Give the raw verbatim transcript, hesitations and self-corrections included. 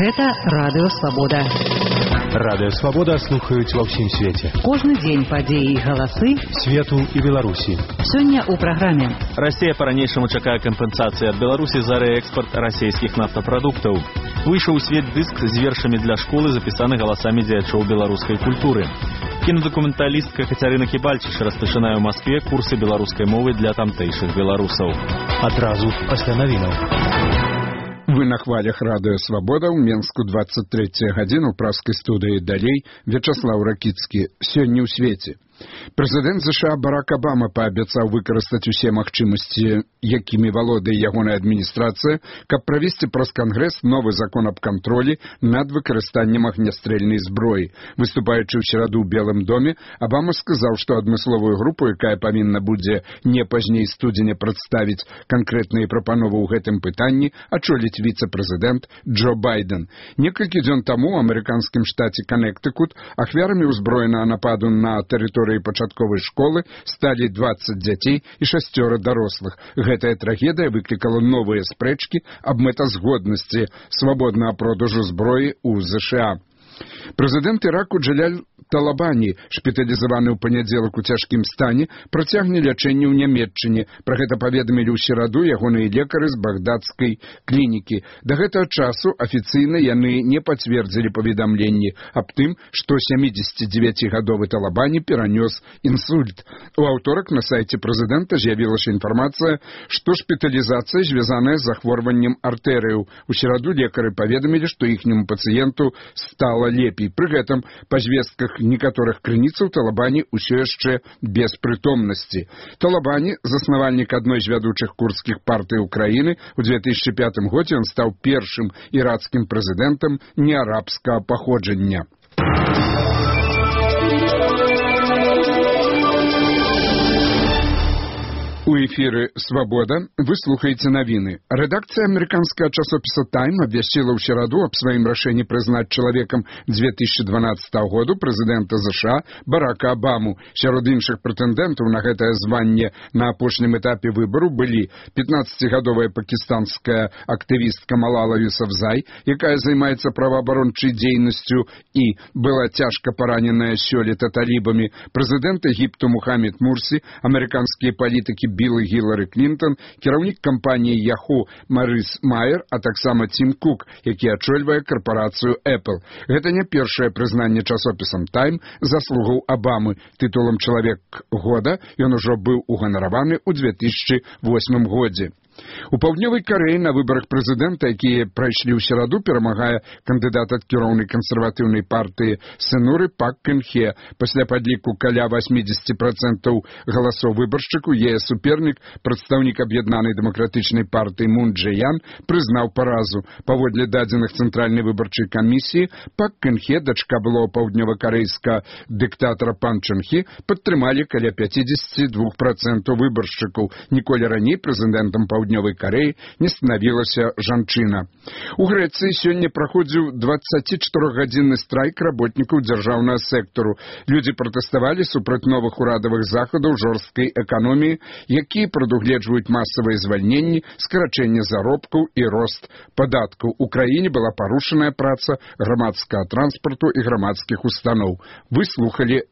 Гэта Радыё Свабода. Радыё Свабода слухаюць ва ўсім свеце. Кожны дзень падзеі і галасы свету і Беларусі. Сёння ў праграме. Расія па-ранейшаму чакае кампенсацыі ад Беларусі за рээкспарт расійскіх нафтапрадуктаў. Выйшаў у свет дыск з вершамі для школы, запісаны галасамі дзеячоў беларускай культуры. Кінадакументалістка Кацярына Кібальчыш распачынае ў Маскве курсы беларускай мовы для тамтэйшых беларусаў. Адразу пасля навінаў. Вы на хвалях Радыё Свабода, ў Менску двадцать третья гадзіна, ў праскай студыі далей Вячаслаў Ракіцкі. Сёння ў свеце. Прэзідэнт ЗША Барак Абама паабяцаў выкарыстаць усе магчымасці, якімі валодае ягоная адміністрацыя, каб правесці праз Кангрэс новы закон аб кантролі над выкарыстаннем агнястрэльнай зброі. Выступаючы ў сераду ў Белым доме, Абама сказаў, што адмысловую групу, якая павінна будзе не пазней студзеня прадставіць канкрэтныя прапановы ў гэтым пытанні, ачоліць віцэ-прэзідэнт Джо Байден. Некалькі дзён таму ў амерыканскім штаце Канектыкут ахвярамі ўзброенага нападу на тэрыторыю пачатковай школы сталі дваццаць дзяцей і шасцёра дарослых. Гэтая трагедыя выклікала новыя спрэчкі аб мэтазгоднасці свабоднага продажу зброі ў ЗША. Прэзідэнт Іраку Джаляль Талабані, шпіталізаваны ў панядзелак у цяжкім стане, працягне лячэнне ў Нямецчыне. Пра гэта паведамілі ў сераду ягоныя лекары з багдадскай клінікі. Да гэтага часу афіцыйна яны не пацвердзілі паведамленні аб тым, што сямідзесяцідзевяцігадовы Талабані перанёс інсульт. У аўторак на сайце прэзідэнта з'явілася інфармацыя, што шпіталізацыя звязаная з захворваннем артэрыяў. У сераду лекары паведамілі, што іхняму пацыенту стала лепей. Пры гэтым, па звестках некаторых крыніцаў, Талабані ўсё яшчэ без прытомнасці. Талабані, заснавальнік адной з вядучых курдскіх партый Украіны, у две тысячи пятым годзе ён стаў першым іракскім прэзідэнтам неарабскага паходжання. У эфіры «Свабода» вы слухаеце навіны. Рэдакцыя амерыканскага часопіса «Тайм» абвясціла ў сераду аб сваім рашэнні прызнаць чалавекам две тысячи дванаццатага году прэзідэнта ЗША Барака Абаму. Сярод іншых прэтэндэнтаў на гэтае званне на апошнім этапе выбару былі пятнаццацігадовая пакістанская актывістка Малала Юсафзай, якая займаецца праваабарончай дзейнасцю і была цяжка параненая сёлета талібамі, прэзідэнт Егіпту Мухаммед Мурсі, амерыканскія палітыкі Білл і Гілары Клінтон, кіраўнік кампаніі Yahoo Марыс Майер, а таксама Тім Кук, які ачольвае карпарацыю Apple. Гэта не першае прызнанне часопісам «Тайм» заслугаў Абамы. Тытулам «Чалавек года» ён ужо быў уганараваны ў две тысячи восьмым годзе. У Паўднёвай Карэі на выбарах прэзідэнта, якія прайшлі ў сераду, перамагае кандыдат ад кіроўнай кансерватыўнай партыі Сэнуры Пак Кын Хе. Пасля падліку каля восемьдесят процентов галасоў выбаршчыку, яе супернік, прадстаўнік аб'яднанай дэмакратычнай партыі Мун Дже Ян, прызнаў паразу. Паводле дадзеных цэнтральнай выбарчай камісіі, Пак Кын Хе, дачка былого паўднёвакарэйскага дыктатара Пан Чэн Хі, падтрымалі каля пятьдесят два процента выбаршчыкаў. Ніколі раней прэзідэнтам Паўднёвай Карэі не станавілася жанчына. У Грэцыі сёння праходзіў дваццацічатырохгадзінны страйк работнікаў дзяржаўнага сектару. Людзі пратэставалі супраць новых урадавых захадаў жорсткай эканоміі, якія прадугледжваюць масавыя звальненні, скарачэнне заробкаў і рост падаткаў. У краіне была парушаная праца грамадскага транспарту і грамадскіх устаноў. Вы слухалі